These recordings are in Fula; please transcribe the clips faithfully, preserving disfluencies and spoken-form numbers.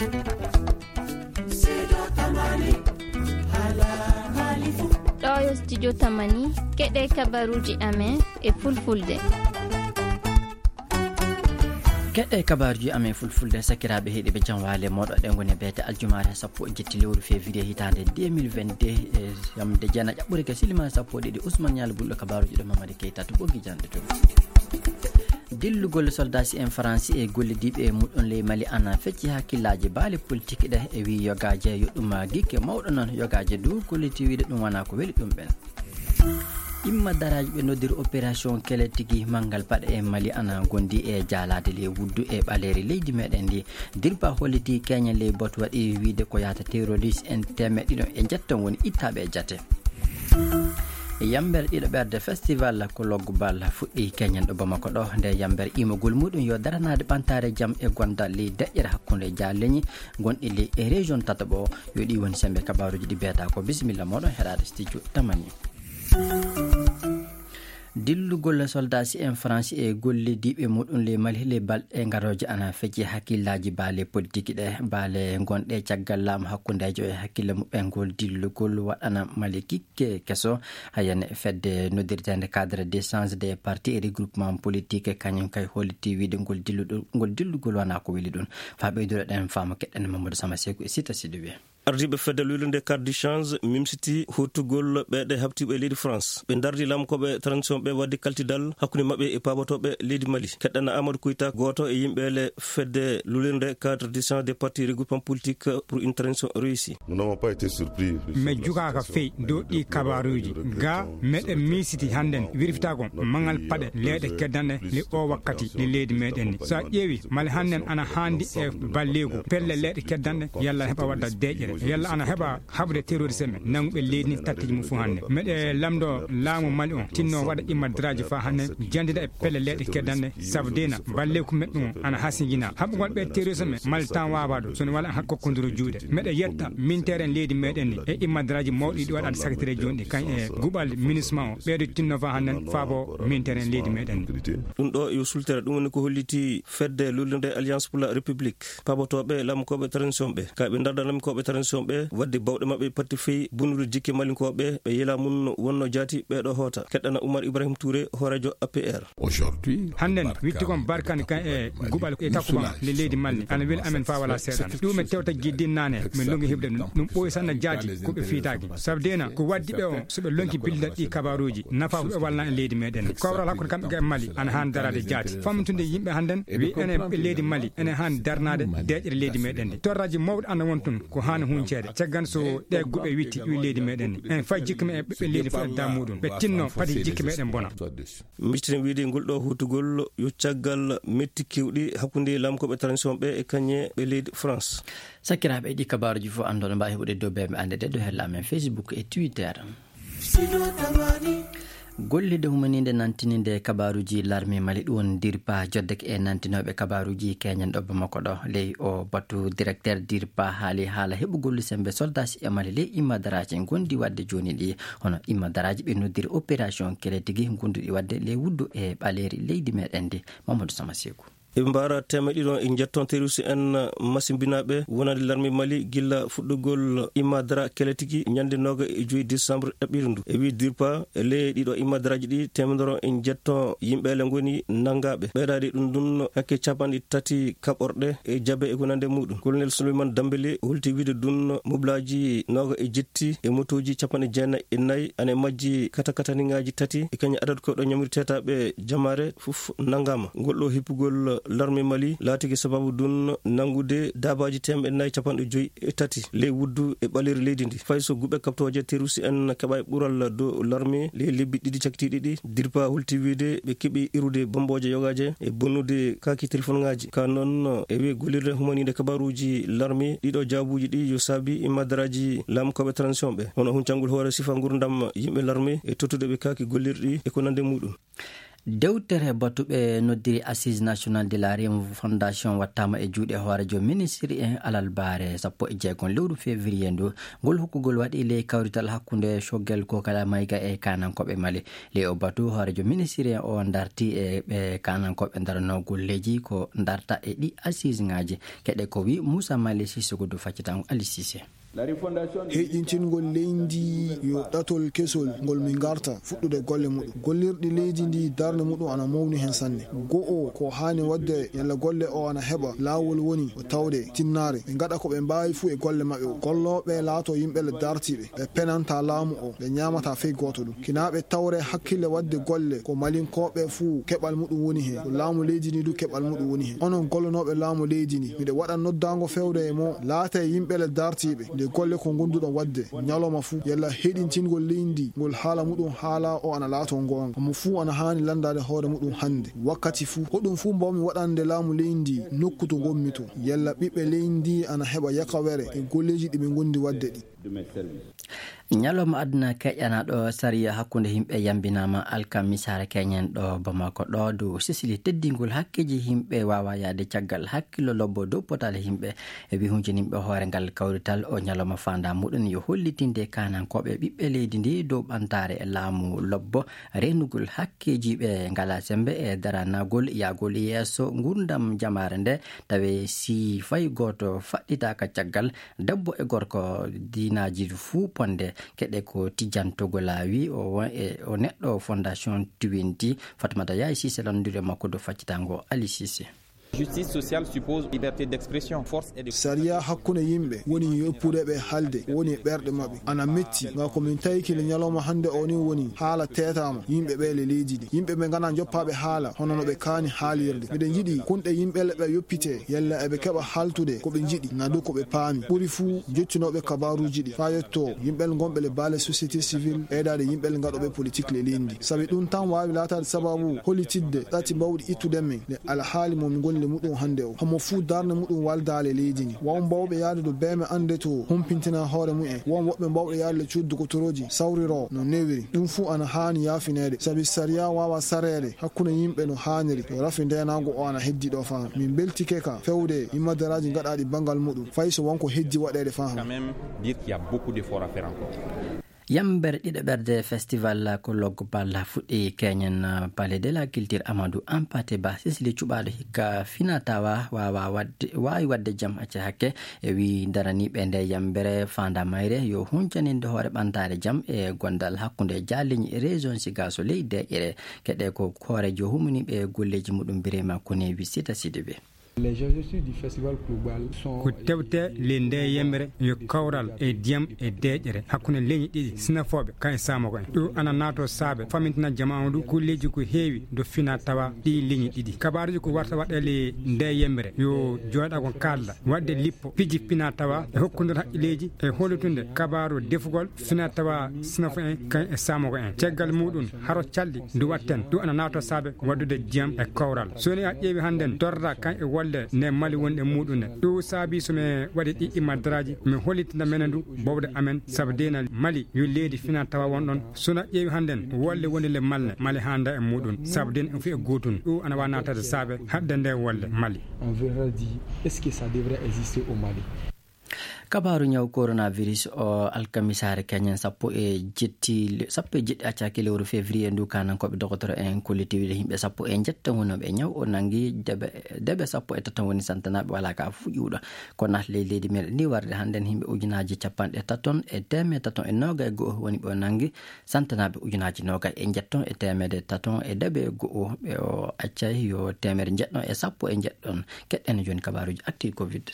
Ɗo yo studio Tamani, keɗe kabaruji amen e fulfulde. Keɗe kabaruji amen fulfulde, sakiraaɓe heɗiɓe, jam waale moɗo ɗe ngoni beete aljumaare sappo e jetti lewru février hitaande deux mille vingt-deux, e yamde jeena ƴaɓɓure ke silima sappo e ɗiɗi. Ousmane Nialo Bulɗo, kabaruji ɗo Mamadi Keita to ɓoggi jande to. Dillugol soldasi en Faransi e gollidiiɓe muɗum ley Mali ana fecci hakkillaaji baale politique ɗe e wi yogaaje yo ɗum gikke mawɗo noon yogaaje dow kolliti wiide ɗum wona ko weli ɗum ɓen. Imma daraaji ɓe noddiri opération kele tigi manngal paɗe e Mali ana gondi e jaalaade ley wuddu e ɓaleeri leydi meɗen ndi. Dirpa holliti keñen ley batu waɗi wiide ko yahata terroriste en teemeɗɗe ɗiɗo e njetton woni ittaaɓe e jate. Yamber ɗiɗo ɓerde festival ko loggu bal fuɗɗi keñen ɗo Bamako ɗo. Nde yamber imogol muɗum yo daranaade ɓantaare jam e gondal ley deƴƴere hakkunde jaalleñi gonɗi ley e région tataɓo. Yo ɗi woni sembe kabaruji ɗi beeta ko. Bisimilla moɗon heɗaade studio Tamani. Dillugol soldasi en Faransi e gollidiiɓe muɗum ley Mali ley balɗe garooje ana fecci hakkillaaji baale politique ɗe. Baale gonɗe caggal laamu hakkundeejo e hakkille muɓɓen ngol dillugol waɗana Mali kikke keso. Hayane fedde noddirteende cadre d'échange des partis et regroupement politique kañum kay holliti wiide ngol dilluɗo-, ngol dillugol wona ko weli ɗum. Faa ɓeyduɗo ɗen faamu keɗɗen Mamadou Sama Seku e Sita Sidibé. Ardiiɓe fedde luulnde cadre d'échange mimsiti huttugol ɓeeɗe haɓtiiɓe leydi France. Ɓe ndardi lamkooɓe transition ɓe waɗde kaltidal hakkunde maɓɓe e paabotooɓe leydi Mali. Keɗɗana Amadou Koyta, gooto e yimɓe le fedde luulnde cadre d'échange des partis regroupement politique pour une transition réussie. Nous n'avons pas été surpris. Min jugaaka fey dow ɗi kabaruuji. Ga meɗen miisiti hannden wirfitagol mangal paɗe leeɗe keddanɗe le o wakkati le leydi meɗen ni. So a ƴeewi Mali hannden ana haandi e balleeku pelle leeɗe keddanɗe yalla heɓa wadda deeƴere yalla ana heɓa haɓude terroriste men nannguɓe leydi ni tatteeji mum fof hannde. Meɗe lamndo laamu Mali on tinno waɗa immadraaji faa hannde jandida e pelle leeɗe keddanɗe sabu dena balleeku meɗɗum on ana hasinjina. Haɓugol ɓe terroriste men Mali tan waawa ɗum so ne wala an hakkokkodiro juuɗe. Meɗe yetta minteere en leydi meɗen ni e immadraaji mawɗi ɗi waɗaade sakitire jooni ɗi kañ e guɓal minisma o ɓeeɗo tinno faa hannde faabo minteere en leydi meɗen ni. Ɗum ɗo yo sultere, ɗum woni ko holliti fedde luulnde Alliance pour la République. Paabotooɓe lamkooɓe transition ɓe, ka ɓe ndarda lamkooɓe transition ɓe, waɗde bawɗe maɓɓe parti fey bonnude jikke malinkooɓe, ɓe yela mum wonno jaati ɓeeɗo hoota. Keɗɗana Oumar Ibrahim Touré, hooreejo A P R. Aujourd'hui, hannden witti kon barkani kan e guɓal e takkuban le leydi Mali. Ana weli amen faa wala seeɗan. Ɗum en tewta jiddinnaane, min longi heɓde ɗum. Ɗum ɓooyi sanna jaati ko ɓe fiitaaki. Sabu dena ko waddi ɓe on, so ɓe lonki billal ɗi kabaruuji, nafa ko ɓe walna e leydi meɗen. Kawral hakkunde kamɓe e Mali ana haani daraade jaati. Fammintude yimɓe hannden, wi enen ɓe leydi Mali, enen haani darnaade deeƴere leydi meɗen ndi. Torraji mawɗi ana won tun, ko haani hunceede. Caggan so ɗe guɓe witti, wi leydi meɗen ni. En fay jikke men e ɓiɓɓe leydi fof e daa muɗum. Ɓe tinno, pati jikke meɗen bona. Micciten wiide ngol ɗo huutugol yo caggal metti kewɗi hakkunde lamkooɓe transition ɓe e kañe ɓe leydi France. Sakiraaɓe, ɗi kabaaruji fof anndon mbaawi heɓude dow bembe annde ɗe dow hella amen Facebook e Twitter. Gollirde humaniinde nantininde kabaaruji larmi Mali ɗum woni DIRPA joddeke e nantinooɓe kabaaruji keñen ɗo Bamako ɗo. Ley o batu directeur DIRPA haali haala heɓugol sembe soldaaji e Mali ley immadaraaji gonɗi waɗde jooni ɗi. Hono immadaraaji ɓe noddiri opération kele tigi gonduɗi waɗde ley wuddu e ɓaleeri leydi meɗen ndi. Mamadou Sama Seku. Eɓe mbaara teemeɗɗe ɗiɗo e njetton terroriste en masimbinaaɓe wonande larme Mali gilla fuɗɗugol immadara kele tigi ñande nooga e joyi décembre ɗaɓɓiiru ndu. E wii DIRPA, ley ɗiɗo immadaraaji ɗi teemedere e njetton yimɓeele ngoni nanngaaɓe. Ɓeydaade ɗum ɗum hakke capanɗe tati kaɓorɗe e jabe e ko nande muɗum. Colonel Souleymane Dambélé holti wiide ɗum mobelaaji nooga e jetti e motooji capanɗe jeenayi e nayi ana e majji katakataniŋaaji tati e kañum adadu kewɗo ñamri teetaaɓe jamaare fof nanngaama. Ngol ɗo hippugol larme Mali laatike sababu ɗum nanngude daabaaji teemedde nayi capanɗe joyi e tati ley wuddu e ɓaleeri leydi ndi. Fay so guɓe kaɓtooje terroriste en keɓaay ɓural dow larme ley lebbi ɗiɗi cakkitiiɗi ɗi, DIRPA holti wiide ɓe keɓi irude bombooje yogaaje e bonnude kaaki telefonŋaaji. Ka noon e wii gollirde humaniinde kabaaruuji larme ɗiɗo jaabuuji ɗi yo saabi immadaraaji laamkooɓe transition ɓe. Hono huncangol hoore sifa ngurdam yimɓe larme e tottude ɓe kaaki gollirɗi e ko nande muɗum. Dewtere batu ɓe noddiri Assise Nationale de la Refondation wattaama e juuɗe hooreejo ministri en alarbaare sappo e jeegom lewru février ndu. Ngol hokkugol waɗi ley kawrital hakkunde Choguel Kokala Maïga e kaanankooɓe Mali. Ley o batu hooreejo ministri en o darti e ɓe kaanankooɓe daranoo golleeji ko darta e ɗi assise ŋaaji. Keɗe ko wi Moussa Mali Sissoko du faccitango Ali Cissé. Heyɗintingol leydi yo ɗatol kesol ngol min garta fuɗɗude golle muɗum. Gollirɗi leydi ndi darnde muɗum ana mawni hen sanne. Go'o ko haani waɗde yalla golle o ana heɓa laawol woni o tawde tinnaare. Ɓe ngaɗa ko ɓe mbaawi fuu e golle maɓɓe o. Gollooɓe laato yimɓe le dartiiɓe. Ɓe penanta laamu o. Ɓe ñaamata fey gooto ɗum. Kinaa ɓe tawre hakkille waɗde golle ko malinkooɓe fuu keɓal muɗum woni hen. Ko laamu leydi ndi du keɓal muɗum woni hen. Onon gollonooɓe laamu leydi ndi, miɗo waɗa noddaango fewde e mo laata e yimɓe le dartiiɓe. Nde golle ko ngonduɗon waɗde ñalawma fuu, yalla heɗintingol leydi ndi, ngol haala muɗum haala o ana laato ngoonga. Mo fuu ana haani lanndaade hoore muɗum hannde, wakkati fuu. Ko ɗum fuu mbawmi waɗande laamu leydi ndi nokku to ngonmi to. Yalla ɓiɓɓe leydi ndi ana heɓa yakawere e golleeji ɗi ɓe ngondi waɗde ɗi. Ñalawma aduna keƴanaaɗo sariya hakkunde yimɓe yambinaama alkamisaare keñen ɗo Bamako ɗo dow sisili teddingol hakkeeji yimɓe waawa yahde caggal hakkillo lobbo dow potaale yimɓe. E wi huncinimɓe hoore ngal kawrital o ñalawma faanda muɗum yo hollitinde kaanankooɓe ɓiɓɓe leydi ndi dow ɓantaare e laamu lobbo reenugol hakkeeji ɓe ngala sembe e daranagol yahgol yeeso ngurdam jamaare nde tawe si fay gooto faɗɗitaaka caggal debbo e gorko diinaaji fuu ponde keɗe ko tijjantogol laawi o won e o neɗɗo fondation twenty. Fatmata Yaay Sise lanndude makko dow faccitango Ali Sise. Justice sociale suppose liberté d'expression, force et de sariya hakkunde yimɓe woni yoppude ɓe halde woni e ɓerɗe maɓɓe ana metti nga ko min tawiki le ñalawma hannde o ni woni haala teetaama yimɓe ɓe le leydi ndi yimɓe ɓe ngana joppaaɓe haala hono no ɓe kaani haalirde miɗen njiɗi kunɗe yimɓe le ɓe yoppite yalla eɓe keɓa haltude ko ɓe njiɗi na du ko ɓe paami ɓuri fuu jottinooɓe kabaaruuji ɗi faa yetto yimɓe le ngonɓe le baale société civile ɓeydaade yimɓe le ngaɗooɓe politique le leydi ndi sabi ɗum tan waawi laataade sababu hollitidde ɗati mbawɗi ittude men le alhaali mo mi ngoni le muɗum hannde o homo fuu darnde muɗum waldaale leydi ndi won mbawɓe yahde to beeme annde to humpintina hoore mumen won woɓɓe mbawɓe yahde le cuddu ko torooji sawriro no newiri ɗum fuu ana haani yaafineede sabi sariya waawa sareede hakkunde yimɓe no haaniri to rafi ndeenaagu o ana heddi ɗo faa min mbeltike ka fewde immadaraaji ngaɗaaɗi banngal muɗum fay so wonko heddi waɗeede faa. Quand même dire qu'il y a beaucoup d'efforts à faire encore. Yambere ɗiɗaɓerde festival ko loggo balla fuɗɗi keñen palais de la culture Amadou Hampâté Bâ sisli cuɓaaɗo hikka fina tawa waawa waɗde waawi waɗde jam acca hakke e wi daraniiɓe nde yambere faanda mayre yo huncaninde hoore ɓantaare jam e gondal hakkunde jaalleñi e région sigaso ley deeƴere keɗe ko hoorejo humaniiɓe golleeji muɗum birema kone wi sita sidibe. Les enjeux du festival global sont ko tewte le nde yemre yo kawral e diyam e deeƴere hakkunde leñi ɗiɗi sinafooɓe kan e saamoko en ɗum ana naato saabe famintina jamaanu ndu kulleeji ko heewi do fina tawa ɗi leñi ɗiɗi kabaaruji ko warta waɗele nde yemre yo jooɗa ko kaalda waɗde lippo piji fina tawa e hokkunde haqqileeji e hollitunde kabaaru defugol fina tawa sinafo en kan e saamoko en caggal muɗum haro calɗi ndu watten ɗum ana naato saabe waddude jiyam e kawral so ni a ƴeewi hannden torra kan e wolle nde mali wonde muɗum ne ɗum saabi so mi waɗi ɗi imadraji mi hollitina menen ndu bowde amen sabu dena mali yo leydi fina tawa won ɗon so na ƴeewi hannden wolle woni le malne mali handa e muɗum sabu den en fi e gotun ɗum ana wa naatade saabe hadde nde wolle mali. On verra dit est-ce que ça devrait exister au Mali? Kabaaru ñaw coronavirus o alkamisaare keñen sappo e jetti sappo e jeɗɗi accaki lewru février ndu kanankooɓe dogotoro en kollitiwde yimɓe sappo e njetto wonooɓe e ñaw o nangi deɓe deɓe sappo e taton woni santanaaɓe wala ka fuƴuɗo ko naat ley leydi meɗen ndi warde hannden yimɓe ujunaaji capanɗe taton e teemeɗe taton e noogay go'o woni ɓe o nangi santanaaɓe ujunaaji noogay e njetton e teemeɗe taton e deɓe go'o ɓe o accay yo teemeɗe njeɗɗon e sappo e njeɗɗon keɗɗen jooni kabaaruji acti covid.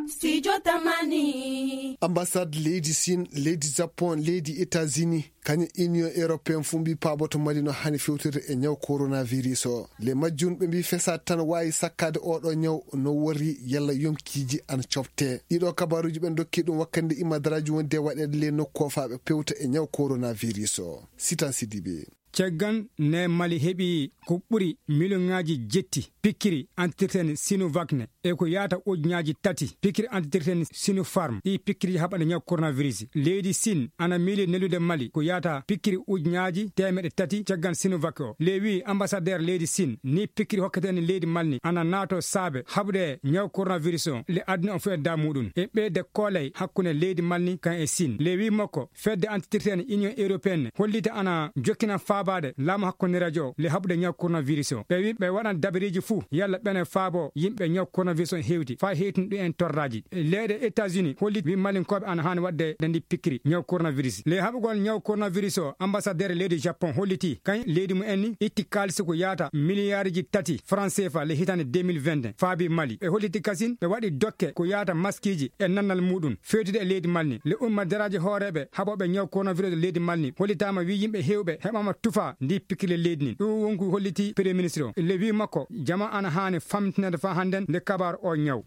Studio Tamani. Ambassade leydi Chine, leydi Japon, leydi États-Unis, kañum Union Européenne fuu mbi paaboto Mali no haani fewtirde e ñaw coronavirus o. Le majjum ɓe mbi fesaade tan waawi sakkaade oo ɗoo ñaw no worri yalla yonkiiji ana cofte. Ɗiɗo kabaaruuji ɓen dokki ɗum wakkande imadaraaji wonde waɗeede le nokku o faa ɓe pewta e ñaw coronavirus o. Sitan Sidibe. Caggal ne Mali heɓi ko ɓuri miliyoŋaaji jetti pikkiri antitirten Sinovac ne, e ko yaata ujunaaji tati pikkiri antitirten Sinopharm. Ɗi pikkiri haɓaɗe ñaw coronavirus. Leydi Sin ana miili neldude Mali ko yaata pikkiri ujunaaji teemeɗe tati caggal Sinovac o. Le wi ambassadeur leydi Sin ni pikkiri hokketen leydi Mali ni ana naato saabe haɓude ñaw coronavirus o le aduna o fof e da muɗum. E ɓeyde koolay hakkunde leydi Mali ni kan e Sin. Le wi makko fedde antitirten Union Européenne hollita ana jokkina faabaade laamu hakkunde radio le haɓude ñaw coronavirus o. Ɓe wi ɓe waɗan dabariiji fuu yalla ɓene faabo yimɓe ñaw coronavirus o hewti faa hewtin ɗum en torraaji. Leyɗe États-Unis hollit wi Malinkooɓe ana haani waɗde dandi pikkiri ñaw coronavirus. Le haɓugol ñaw coronavirus o, ambassadeur leydi Japon holliti kañ leydi mu en ni itti kaalisi ko yaata miliyaariji tati franc C F A le hitande deux mille vingt faabi Mali. Ɓe holliti kasin ɓe waɗi dokke ko yaata maskiiji e nannal muɗum fewtude e leydi Mali ni. Le umma daraaji hooreeɓe haɓooɓe ñaw coronavirus e leydi Mali ni hollitaama wi yimɓe hewɓe heɓaama tufa ndi pikkiri leydi ni. Ɗum wonko holliti premier ministre o. Le wi makko jama ana haani famtinede faa hannden nde kabaaru o ñaw.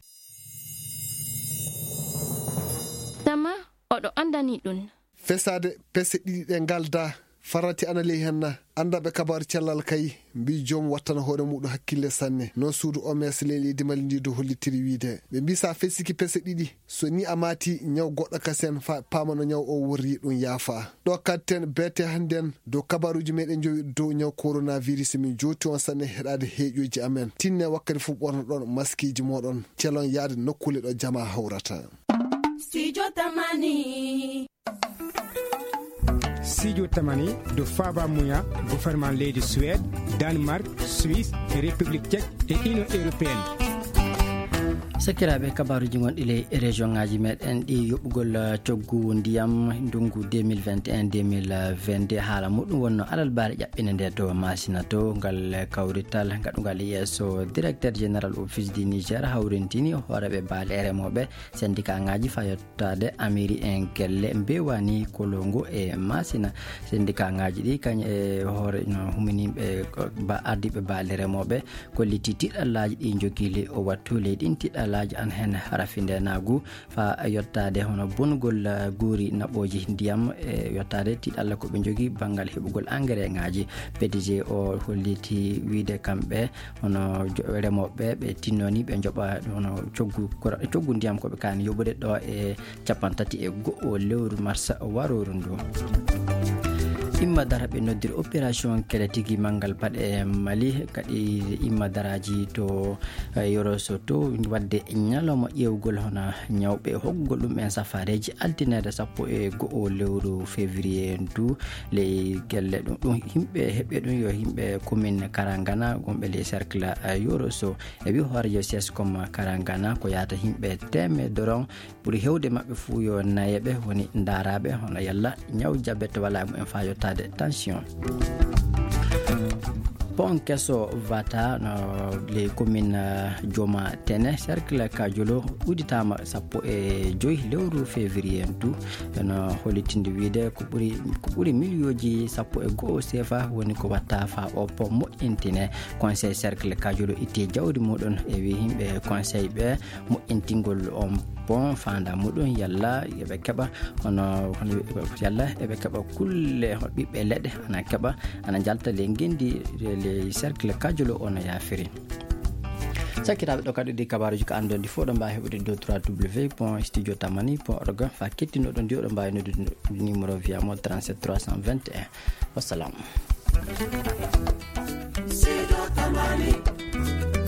Tama oɗo anndani ɗum. Fesaade pese ɗiɗi ɗe ngalda, farati ana ley hen na. Anndaɓe kabaaru cellal kay mbi joom wattana hoore muɗum hakkille sanne. Noon suudu O M S ley leydi Mali ndi do hollitiri wiide ɓe mbi sa fesiki pese ɗiɗi, so ni a maati ñaw goɗɗo kasen fa paama no ñaw o worri ɗum yaafa. Ɗo kadten beete hannden dow kabaaruuji meɗen jowi dow ñaw coronavirus. Min jooti on sanne heɗaade heeƴooji amen. Tinne wakkati fof ɓornoɗon maskiiji moɗon. Celon yaade nokkuule ɗo jama hawrata. Studio Tamani. Studio Tamani do faaba muya gouvernement leydi Suède, Danemark, Suisse, e République Tchèque e Union Européenne. Sakiraaɓe, kabaaruuji gonɗi ley région ŋaaji meɗen ɗi yoɓugol, eh, coggu ndiyam ndungu deux mille vingt et un deux mille vingt-deux, haala muɗum wonno alalbaare ƴaɓɓinde nde to Masina to. Ngal kawrital gaɗungal yeeso directeur général office du Niger hawrintini hooreeɓe baale e remooɓe, syndicat ŋaaji fa yottaade amiri en gelle mbewani kolongo e Masina. Syndicat ŋaaji ɗi kañ e hoore no huminiɓe ba ardiɓe baale remooɓe kolliti tiɗallaaji ɗi njogii ley o wattu. Ley ɗin tiɗallaaji ana hen rafindeenaagu fa yottaade hono bonugol, eh, guuri naɓooji ndiyam, e yottaade tiɗalla ko ɓe njogii banngal heɓugol engrais ŋaaji. P D G o holliti wiide kamɓe hono jo-, remooɓe ɓe tinnoni ɓe njoɓa hono coggu kura-, coggu ndiyam ko ɓe kaani yoɓude ɗo e cappanɗe tati e go'o lewru mars warooru ndu. Imma dara ɓe noddiri opération kele tigi manngal paɗe Mali, kadi imma daraaji to, eh, Yoro Soto, wadde ñalawma ƴeewgol hono ñawɓe hokkugol ɗum en safareeji altine sappo e go'o lewru février ndu. Ley gelle ɗum, ɗum yimɓe heɓɓe ɗum yo yimɓe commune Karangana, wonɓe ley cercle, eh, Yoro So. E wi hoorejo sescom Karangana ko yaata yimɓe teemedere ɓuri heewde maɓɓe fuu yo nayeeɓe woni ndaaraaɓe hono yalla ñaw jabet wala e mumen faa yottaade tension. Pont keso Vata no ley commune, eh, Jooma Tene, cercle Kajolo, udditaama sappo e joy lewru février ndu. Eno hollitinde wiide ko ɓuri, ko ɓuri miliyooji sappo e go'o sefa woni ko watta faa o pont moƴƴintine. Conseil cercle Kajolo itti jawdi muɗum e wi yimɓe conseil ɓe moƴƴintingol on pont faanda muɗum yalla yoɓe keɓa hono, hono yalla eɓe keɓa kulle ɓiɓɓe leɗɗe ana keɓa ana jalta ley ngenndi ley cercle Kajolo ono yaafiri. Sakkiraaɓe, ɗo kadi ɗi kabaaruuji ko anndon ɗi fof ɗo mbaawi heɓude dow trois W point studio tamani point org. Fa kettinoɗon ndi oɗo mbaawi noddude numéro via mo trente-sept trois cent vingt et un. Wassalam. Studio Tamani.